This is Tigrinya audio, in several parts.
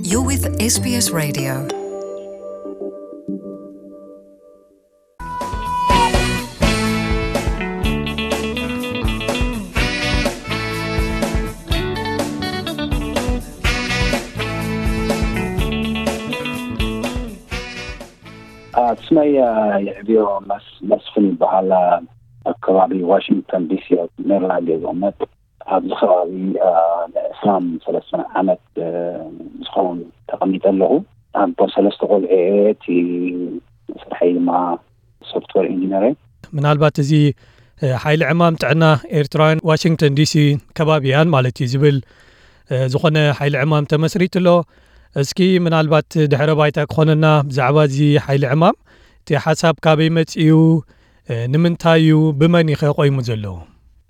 You're with S B S Radio. ስመይ የዕብዮ መስፍን ይበሃል። ኣብ ከባቢ ዋሽንግተን ዲሲ ኣብ ሜሪላንድ እየ ዝቕመጥ። ኣብዚ ከባቢ ንዕስራን ሰለስተን ዓመት ዝኸውን ተቐሚጠ ኣለኹ። ኣቦ ሰለስተ ቆልዑ እየ። እቲ ስርሐይ ድማ ሶፍትዌር ኢንጂነር እየ። ምናልባት እዚ ሓይሊ ዕማም ጥዕና ኤርትራውያን ዋሽንግተን ዲሲ ከባቢያን ማለት እዩ ዝብል ዝኾነ ሓይሊ ዕማም ተመስሪቱ ኣሎ። እስኪ ምናልባት ድሕረ ባይታ ክኾነና ብዛዕባ እዚ ሓይሊ ዕማም፣ እቲ ሓሳብ ካበይ መጺኡ፣ ንምንታይ እዩ፣ ብመን እዩ ኸ ቆይሙ ዘሎ?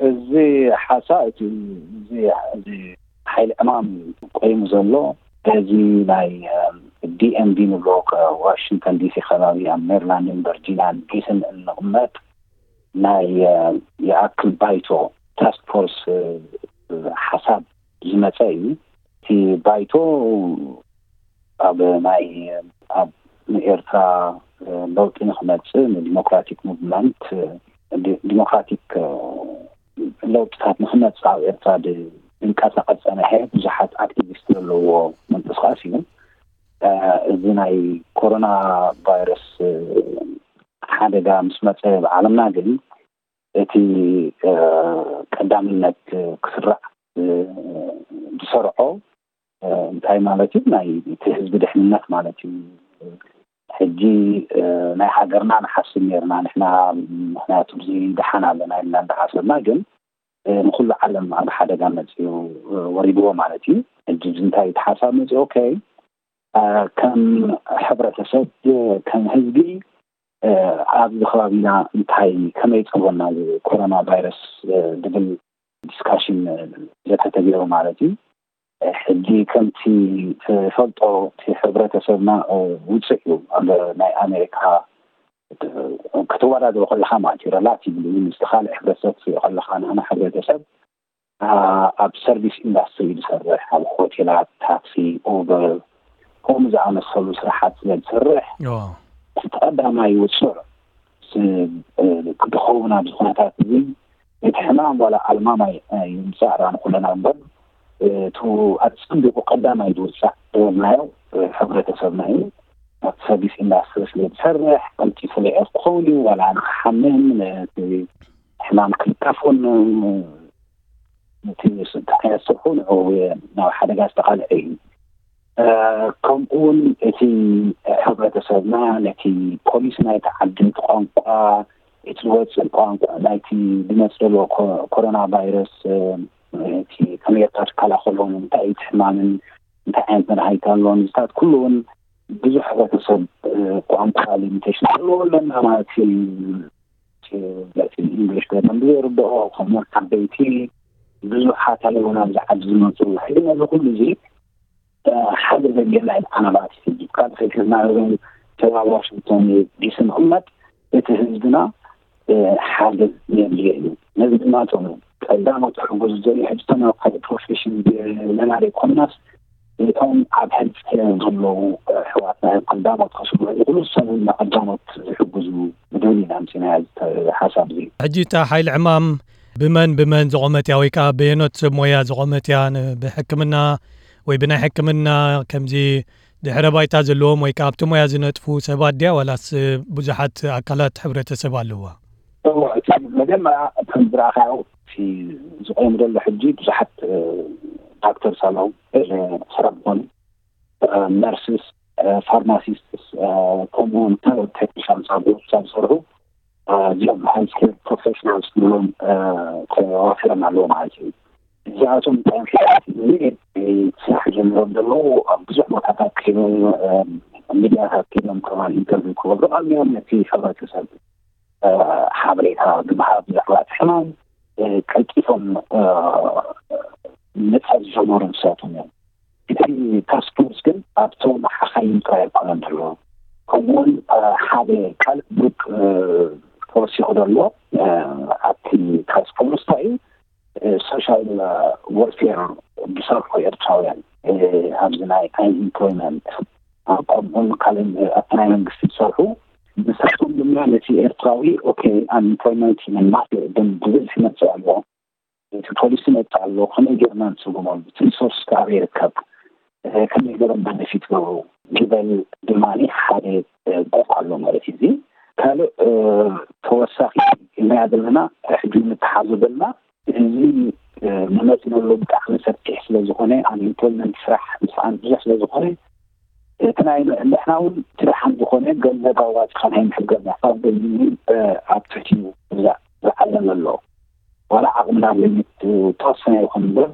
እዚ ሓሳብ እቲ እዚ እዚ ሓይሊ ዕማም ቆይሙ ዘሎ በዚ ናይ ዲኤምቪ ንብሎ ዋሽንግተን ዲሲ ከባቢ ኣብ ሜሪላንድን ቨርጂኒያን ዲስን እንቕመጥ ናይ ይኣክል ባይቶ ታስክ ፎርስ ሓሳብ ዝመፀ እዩ። እቲ ባይቶ ኣብ ናይ ኣብ ንኤርትራ ለውጢ ንክመፅእ ንዲሞክራቲክ ሙቭመንት ዲሞክራቲክ ለውጥታት ንክመፅእ ኣብ ኤርትራ ዝንቀሳቐስ ፀነሐ ብዙሓት ኣክቲቪስት ዘለውዎ ምንቅስቃስ እዩ። እዚ ናይ ኮሮና ቫይረስ ሓደጋ ምስ መፀ ብዓለምና ግን እቲ ቀዳምነት ክስራዕ ዝሰርዖ እንታይ ማለት እዩ? ናይ እቲ ህዝቢ ድሕንነት ማለት እዩ። ሕጂ ናይ ሃገርና ንሓስብ ነርና ንሕና፣ ምክንያቱ እዚ ደሓን ኣለና ኢልና እንዳሓሰብና ግን ንኩሉ ዓለም ኣብ ሓደጋ መፅኡ ወሪድዎ ማለት እዩ። ሕጂ እንታይ ተሓሳብ መፅኡ? ኦኬ ከም ሕብረተሰብ ከም ህዝቢ ኣብዚ ከባቢና እንታይ ከመይ ፀወና ኮሮና ቫይረስ ዝብል ዲስካሽን ዘተተገይሩ ማለት እዩ። ሕጂ ከምቲ ትፈልጦ እቲ ሕብረተሰብና ውፅእ እዩ ኣብ ናይ ኣሜሪካ ክትወዳደሩ ከለካ ማለት እዩ ሬላቲቭሊ ምስ ካልእ ሕብረተሰብ ትሪኦ ከለካ ንሕና ሕብረተሰብ ኣብ ሰርቪስ ኢንዳስትሪ ዝሰርሕ ኣብ ሆቴላት፣ ታክሲ፣ ኡበር ከምኡ ዝኣመሰሉ ስራሓት ስለ ዝሰርሕ እቲ ቀዳማይ ውፅዕ ክድኸውን ኣብዚ ኩነታት እዚ እቲ ሕማም ዋላ ኣልማማይ ይምፃእ ዳኣ ንኩለና እምበር እቲ ኣፀቢቑ ቀዳማይ ዝውፃእ ዝበልናዮ ሕብረተሰብና እዩ። ኣብ ሰርቪስ ኢንዳስትሪ ስለ ዝሰርሕ ቀልጢፉ ልዑል ክኸውን እዩ ዋላ ንክሓምም ነቲ ሕማም ክልከፎን እቲ ዓይነት ስርሑ ንዕኡ ናብ ሓደጋ ዝተቓልዐ እዩ። ከምኡ እውን እቲ ሕብረተሰብና ነቲ ፖሊሲ ናይቲ ዓዲ እቲ ቋንቋ እቲ ዝወፅእ ቋንቋ ናይቲ ዝመፅእ ዘሎ ኮሮና ቫይረስ እቲ ከመይ ጌርካ ትከላኸሎም እንታይ እቲ ሕማምን እንታይ ዓይነት መድሃኒት ኣሎ ንዝታት ኩሉ እውን ብዙሕ ሕብረተሰብ ቋንቋ ሊሚቴሽን ዘለዎ ኣለና ማለት እዩ። በቲ እንግሊሽ በደንብ ዘይርድኦ ከምኡውን ዓበይቲ ብዙሓት ኣለዉ ናብዚ ዓዲ ዝመፁ። ሕጂ ነዚ ኩሉ እዚ ሓደ ዘገና ኢልካ ናባት ይስጅብ ካብ ከይከዝና እዞም ተባብ ዋሽንግቶን ዲሲ ንቕመጥ እቲ ህዝብና ሓደ የድልዮ እዩ። ነዚ ድማ እቶም ቀዳሞት ክሕገዙ ዘድልዩ ሕጂ እቶም ኣብ ካልእ ፕሮፌሽን ለና ዘይኮንናስ እቶም ኣብ ሕልፊ ዘለዉ ኣሕዋትና እዮም ቀዳሞት ከስምዑ ይኽእሉ። እሶም እውን ንቀዳሞት ዝሕግዙ ብድብል ኢና ኣምፂናያ እዚ ሓሳብ እዚ። ሕጂ እታ ሓይሊ ዕማም ብመን ብመን ዝቖመት እያ ወይ ከዓ በየኖት ሰብ ሞያ ዝቖመት እያ? ብሕክምና ወይ ብናይ ሕክምና ከምዚ ድሕረ ባይታ ዘለዎም ወይ ከዓ ኣብቲ ሞያ ዝነጥፉ ሰባት ድያ ዋላስ ብዙሓት ኣካላት ሕብረተሰብ ኣለዋ? እወ፣ እቲ መጀመርያ ከም ዝረኣኻዮ እቲ ዝቆም ዘሎ ሕጂ ብዙሓት ዳክተርስ ኣለዉ፣ ስራሕ ዝኾኑ ነርስስ፣ ፋርማሲስትስ ከምኡውን ካልኦት ቴክኒሻን ሳብዝሰርሑ እዚኦም ሄልስኬር ፕሮፌሽናልስ ንብሎም ተዋፊሮም ኣለዉ ማለት እዩ። እዚኣቶም እንታይ እዮም ስራሕ ጀሚሮም ዘለዉ ኣብ ብዙሕ ቦታታት ከይዶም ሚድያታት ከይዶም ከማን ኢንተርቪው ክገብሩ ቀሚዮም ነቲ ሕብረተሰብ ሓበሬታ ብምሃብ ብዛዕባ እቲ ሕማም ቀልጢፎም ምፅሓፍ ዝጀመሩ ንሳቶም እዮም። እቲ ታስክ ፎርስ ግን ኣብቶም ሓኻይም ጥራይ ኣይኮነን ዘሎ። ከምኡውን ሓደ ካልእ ግሩፕ ተወሲኹ ዘሎ ኣብቲ ታስክ ፎርስ እንታይ እዩ ሶሻል ወርፌር ዝሰርሑ ኤርትራውያን ኣብዚ ናይ ኣንኢምፕሎይመንት፣ ከምኡን ካልእ ኣብቲ ናይ መንግስቲ ዝሰርሑ፣ ንሳቶም ድማ ነቲ ኤርትራዊ ኦኬ ኣንኢምፕሎይመንት ኢና ማት ግን ብብዝሒ መፅእ ኣሎ፣ እቲ ፖሊሲ መፅእ ኣሎ፣ ከመይ ጌርና ንስጉመሉ፣ እቲ ሪሶርስ ከኣበይ ይርከብ፣ ከመይ ገይሮም በነፊት ገብሩ ዝበል ድማ ሓደ ጎፍ ኣሎ ማለት እዩ። እዚ ካልእ ተወሳኺ ኢልናያ ዘለና ሕጂ ንተሓዞ ዘለና እዚ ንመፅእ ዘሎ ብጣዕሚ ሰፊሕ ስለ ዝኾነ፣ ኣንኢምፕሎይመንት ስራሕ ምስኣን ብዙሕ ስለ ዝኾነ፣ እቲ ናይ ንሕና እውን እቲ ደሓን ዝኾነ ገንዘብ ኣዋፂኻ ናይ ምሕገዝ ምሕፋዝ ገንዘብ ኣብ ትሕቲኡ ዝዓለም ኣሎ። ዋላ ዓቕምና ሊሚት ተወሰነ ይኹን እምበር፣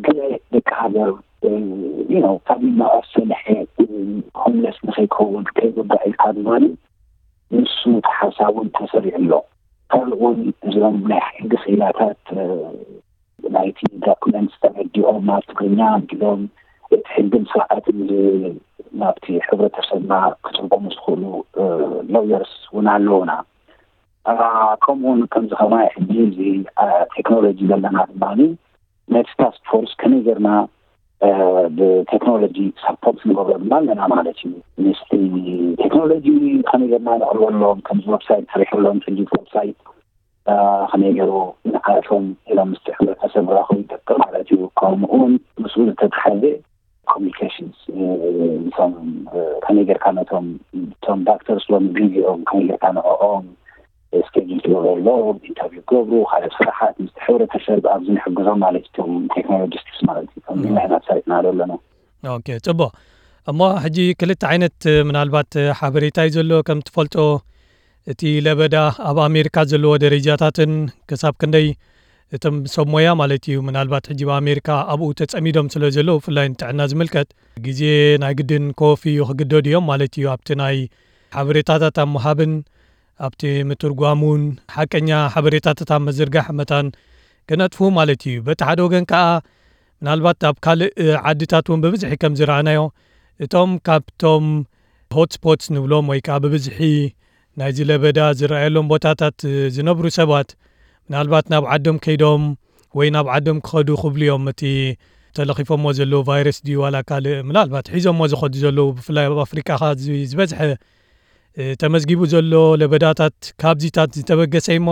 ገለ ደቂ ሃገር ካብ መቐስ ሰንሐ ሆምለስ ንኸይከውን ከይጉዳእ ኢልካ ድማ ንሱ ተሓሳቡን ተሰሪዑ ኣሎ። ካልእ እውን እዞም ናይ ሕጊ ክኢላታት ናይቲ ዶክመንት ተረዲኦም ናብ ትግርኛ ኣቢሎም እቲ ሕግን ስርዓትን ናብቲ ሕብረተሰብና ክትርጎሙ ዝኽእሉ ሎየርስ እውን ኣለውና። ከምኡውን ከምዚ ከማይ ሕጂ እዚ ቴክኖሎጂ ዘለና ድማ ነቲ ታስክ ፎርስ ከመይ ጌርና ብቴክኖሎጂ ሳፖርት ንገብሮ ድማ ኣለና ማለት እዩ። ምስቲ ቴክኖሎጂ ከመይ ጌርና ነቕርበሎም፣ ከምዚ ዌብሳይት ሰሪሕሎም፣ ሕጂ ዌብሳይት ከመይ ገይሩ ንዓቶም ኢሎም ምስቲ ሕብረተሰብ ራኸቡ ይጠቅም ማለት እዩ። ከምኡውን ምስኡ ዝተተሓዘ ኮሚኒኬሽንስ፣ እቶም ከመይ ጌርካ ነቶም እቶም ዳክተርስ ሎም ቢዚ እዮም፣ ከመይ ጌርካ ንዕኦም ስኬጁል ትገብረሎም፣ ኢንተርቪው ገብሩ፣ ካልእ ስራሓት ምስቲ ሕብረተሰብ ኣብዚ ንሕግዞም ማለት እቶም ቴክኖሎጂስትስ ማለት እዩ። ከምዚ ኢና ሰሪሕና ዘለና። ኦኬ፣ ጽቡቕ። እሞ ሕጂ ክልተ ዓይነት ምናልባት ሓበሬታ እዩ ዘሎ። ከም ትፈልጦ እቲ ለበዳ ኣብ ኣሜሪካ ዘለዎ ደረጃታትን ክሳብ ክንደይ እቶም ሰብ ሞያ ማለት እዩ፣ ምናልባት ሕጂ ኣብ ኣሜሪካ ኣብኡ ተጸሚዶም ስለ ዘለዉ፣ ብፍላይ ንጥዕና ዝምልከት ግዜ ናይ ግድን ኮፍ እዩ ክግደዱ እዮም ማለት እዩ። ኣብቲ ናይ ሓበሬታታት ኣብ ምሃብን ኣብቲ ምትርጓሙን ሓቀኛ ሓበሬታታት ኣብ ምዝርጋሕ መታን ክነጥፉ ማለት እዩ። በቲ ሓደ ወገን ከኣ ምናልባት ኣብ ካልእ ዓድታት እውን ብብዝሒ ከም ዝረኣናዮ እቶም ካብቶም ሆትስፖትስ ንብሎም ወይ ከኣ ብብዝሒ ናይዚ ለበዳ ዝረኣየሎም ቦታታት ዝነብሩ ሰባት ምናልባት ናብ ዓዶም ከይዶም ወይ ናብ ዓዶም ክኸዱ ክብሉ እዮም። እቲ ተለኺፎሞ ዘለዉ ቫይረስ ድዩ ዋላ ካልእ ምናልባት ሒዞሞ ዝኸዱ ዘለዉ ብፍላይ ኣብ ኣፍሪቃ ከኣ እዚ ዝበዝሐ ተመዝጊቡ ዘሎ ለበዳታት ካብዚታት ዝተበገሰ እሞ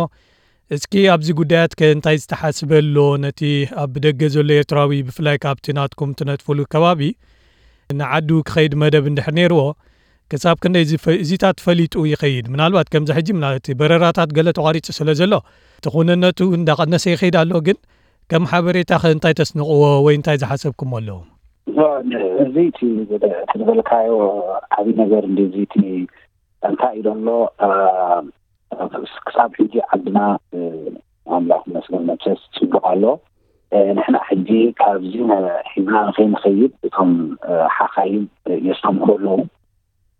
እስኪ ኣብዚ ጉዳያት ከ እንታይ ዝተሓስበ ኣሎ? ነቲ ኣብ ብደገ ዘሎ ኤርትራዊ ብፍላይ ካብቲ ናትኩም ትነጥፍሉ ከባቢ ንዓዱ ክኸይድ መደብ እንድሕር ነይርዎ ክሳብ ክንደይ እዚ ፈ- እዚታት ፈሊጡ ይኸይድ? ምናልባት ከምዚ ሕጂ ምና- እቲ በረራታት ገለ ተቋሪጹ ስለ ዘሎ እቲ ኩነነቱ እንዳቐነሰ ይኸይድ ኣሎ። ግን ከም ሓበሬታ ከ እንታይ ተስንቕዎ ወይ እንታይ ዝሓሰብኩም ኣሎ? እዚ እቲ ዝበልካዮ ዓብዪ ነገር እንዲ እዚ እቲ እንታይ እዩ ዘሎ ክሳብ ሕጂ ዓድና ኣምላኽ መስገን መቸስ ጽቡቕ ኣሎ። ንሕና ሕጂ ካብዚ ሒዝና ንኸይንኸይድ እቶም ሓኻይም የስተምሩ ኣለዉ።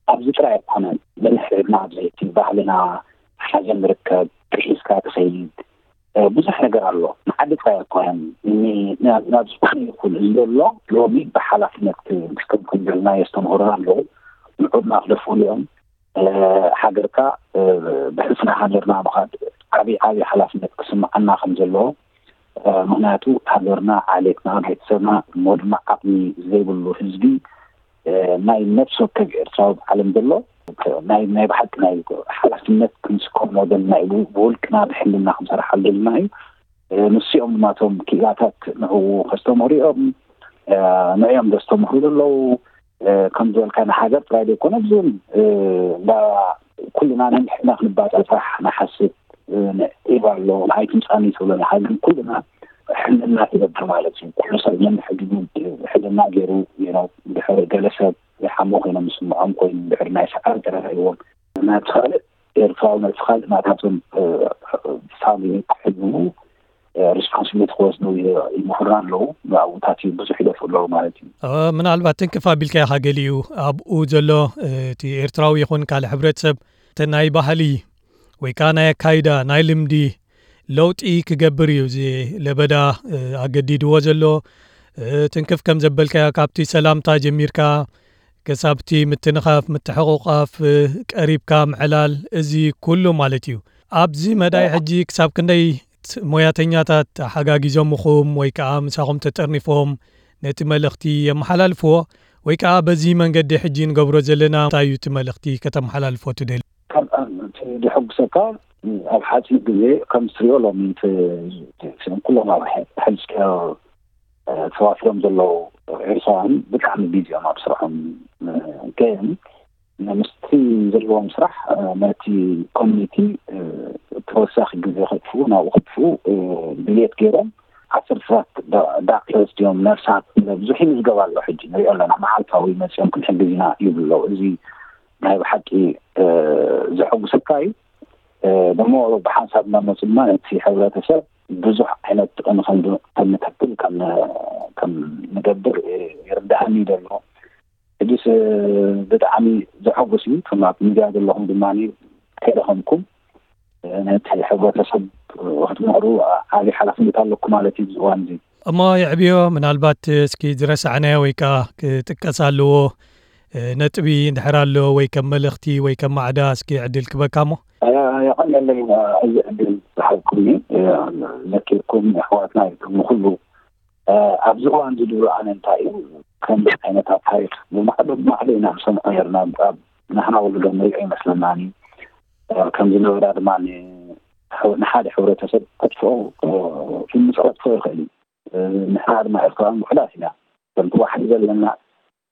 ኣብዚ ጥራይ ኣይኮነን፣ ብንሕርድና ኣብዘይቲ ባህልና ሓዘን ርከብ ክሒዝካ ትኸይድ ብዙሕ ነገር ኣሎ። ንዓዲ ጥራይ ኣይኮነን፣ ናብ ዝኾነ ይኹን እዚ ዘሎ ሎሚ ብሓላፍነት ክስከም ከም ዘለና የስተምሩና ኣለዉ። ንዑድና ክደፍኡሉ እዮም። ሃገርካ ብሕልፍና ሃገርና ምኻድ ዓብዪ ዓብዪ ሓላፍነት ክስምዓና ከም ዘለዎ፣ ምኽንያቱ ሃገርና፣ ዓሌትና፣ ቤተሰብና እሞ ድማ ዓቕሚ ዘይብሉ ህዝቢ ናይ ነፍሲ ወከፍ ኤርትራዊ ብዓለም ዘሎ ናይ ናይ ብሓቂ ናይ ሓላፍነት ክንስከም ወገንና እዩ። ብውልቅና ብሕልና ክንሰርሓሉ ደልና እዩ። ንስኦም ድማ እቶም ክኢላታት ንዕኡ ከስተምህሩ እዮም። ንዕኦም ዘስተምህሩ ዘለዉ ከም ዝበልካ ንሃገር ጥራይ ዘይኮነ ብዙን ኩልና ነንሕድና ክንባፀዕ ጥራሕ ንሓስብ። ዒባ ኣሎ ኣይትምፃኒ ትብሎ ንሃገር ኩልና ሕልና ትገብር ማለት እዩ። ኩሉ ሰብ ነንሕድኑ ሕልና ገይሩ ድሕር ገለ ሰብ ይሓሞ ኮይኖም ዝስምዖም ኮይኑ ድሕር ናይ ሰዓት ተረዳይዎም ናብቲ ካልእ ኤርትራዊ ናብቲ ካልእ ናታቶም ፋሚሊ ክሕልሙ ሪስፖንሲቢሊቲ ክወስዱ ይምክሩ ኣለዉ። ኣብኡታት እዩ ብዙሕ ይደፍኡ ኣለዉ ማለት እዩ። ምናልባት ትንክፍ ኣቢልካ ኢኻ ገሊኡ ኣብኡ ዘሎ እቲ ኤርትራዊ ይኹን ካልእ ሕብረተሰብ እቲ ናይ ባህሊ ወይ ከዓ ናይ ኣካይዳ ናይ ልምዲ ለውጢ ክገብር እዩ እዚ ለበዳ ኣገዲድዎ ዘሎ። ትንክፍ ከም ዘበልካዮ ካብቲ ሰላምታ ጀሚርካ ክሳብቲ ምትንኻፍ ምትሕቑቓፍ ቀሪብካ ምዕላል እዚ ኩሉ ማለት እዩ። ኣብዚ መዳይ ሕጂ ክሳብ ክንደይ ሞያተኛታት ሓጋጊዞምኹም ወይ ከዓ ምሳኹም ተጠርኒፎም ነቲ መልእኽቲ የመሓላልፍዎ? ወይ ከዓ በዚ መንገዲ ሕጂ ንገብሮ ዘለና እንታይ እዩ እቲ መልእኽቲ ከተመሓላልፎ ትደሊ? ካብ እቲ ዘሐጉሰካ ኣብ ሓፂር ግዜ ከም ትሪኦ ሎሚ እቲ ኩሎም ኣብ ሄልስኬር ተዋፊሮም ዘለዉ ኤርትራውያን ብጣዕሚ ቢዚ እዮም ኣብ ስርሖም። ግን ምስቲ ዘለዎም ስራሕ ነቲ ኮሚኒቲ ተወሳኺ ግዜ ከጥፍኡ ናብኡ ከጥፍኡ ድልየት ገይሮም ዓሰርተታት ዳክተርስ ድዮም ነርሳት ብዙሕ ይምዝገብ ኣሎ። ሕጂ ንሪኦ ኣለና መዓልታዊ መፅኦም ክንሕግዝ ኢና ይብሉ ኣለዉ። እዚ ናይ ብሓቂ ዘሐጉሰካ እዩ። ደሞ ብሓንሳብ እናመፁ ድማ ነቲ ሕብረተሰብ ብዙሕ ዓይነት ጥቕሚ ከም ከም ንተክል ከም ከም ንገብር ይርድኣኒ ዘሎ። ሕጅስ ብጣዕሚ ዘሐጉስ እዩ። ከም ኣብ ሚድያ ዘለኹም ድማ ከይደኸምኩም ነቲ ሕብረተሰብ ክትምዕሩ ዓብዪ ሓላፍነት ኣለኩም ማለት እዩ እዚ እዋን እዚ። እሞ የዕብዮ፣ ምናልባት እስኪ ዝረሳዕናዮ ወይ ከዓ ክጥቀስ ኣለዎ ነጥቢ እንድሕር ኣሎ ወይ ከም መልእኽቲ ወይ ከም ማዕዳ እስኪ ዕድል ክበካ እሞ። የቐንየለይ እዚ ዕድል ዝሃብኩምኒ። ዘኪርኩም ኣሕዋትና ኢልኩም ንኹሉ ኣብዚ እዋን ዝድብሩ ኣነ እንታይ እዩ ከምዚ ዓይነታት ታሪክ ብማዕዶ ብማዕዶ ኢና ንሰምዖ ነርና። ንሕና ወለዶ ንሪኦ ይመስለናኒ ከምዚ ነበዳ ድማ ንሓደ ሕብረተሰብ ከጥፍኦ ምስ ከጥፍኦ ይኽእል እዩ። ንሕና ድማ ኤርትራውያን ውሕዳት ኢና። ከምቲ ዋሕዲ ዘለና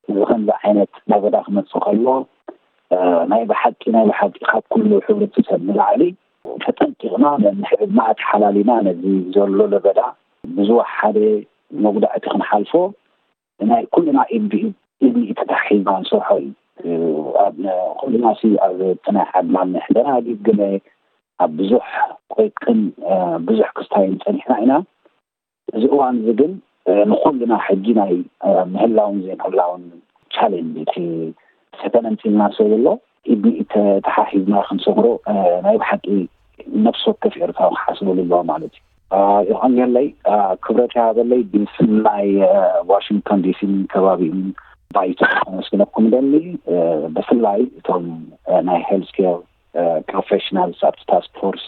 እዚ ከምዚ ዓይነት ለበዳ ክመፅእ ከሎ ናይ ብሓቂ ናይ ብሓቂ ካብ ኩሉ ሕብረተሰብ ንላዕሊ ተጠንቂቕና ነንሕድና ተሓላሊና ነዚ ዘሎ ለበዳ ብዝወሓደ መጉዳእቲ ክንሓልፎ ናይ ኩልና ኢድ ብኢድ ኢድ ንኢድ ተታሒዝና ንሰርሖ እዩ። ኣብ ኩልና ሲ ኣብ እቲ ናይ ዓድና ንሕደና ዲብ ገለ ኣብ ብዙሕ ቆይቅን ብዙሕ ክስታይን ፀኒሕና ኢና። እዚ እዋን እዚ ግን ንኩልና ሕጂ ናይ ምህላውን ዘይምህላውን ቻሌንጅ እቲ ፈተነ እንፅልና ስለ ዘሎ ኢድ ንኢድ ተተሓሒዝና ክንሰግሮ ናይ ብሓቂ ነፍሲ ወከፍ ኤርትራዊ ክሓስበሉ ኣለዎ ማለት እዩ። የቐንየለይ፣ ክብረት ይሃበለይ። ብስም ናይ ዋሽንግቶን ዲሲን ከባቢኡን ባይቶ ከመስግነኩም ደሊ። ብፍላይ እቶም ናይ ሄልስኬር ፕሮፌሽናልስ ኣብቲ ታስክ ፎርስ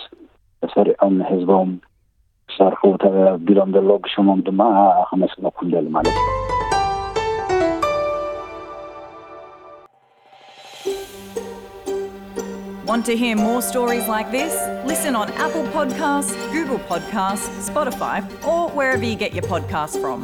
ተሰሪዖም ንህዝቦም ክሰርሑ ተቢሎም ዘለዉ ብሽሞም ድማ ከመስግነኩም ደሊ ማለት እዩ። Want to hear more stories like this? Listen on Apple Podcasts, Google Podcasts, Spotify, or wherever you get your podcasts from.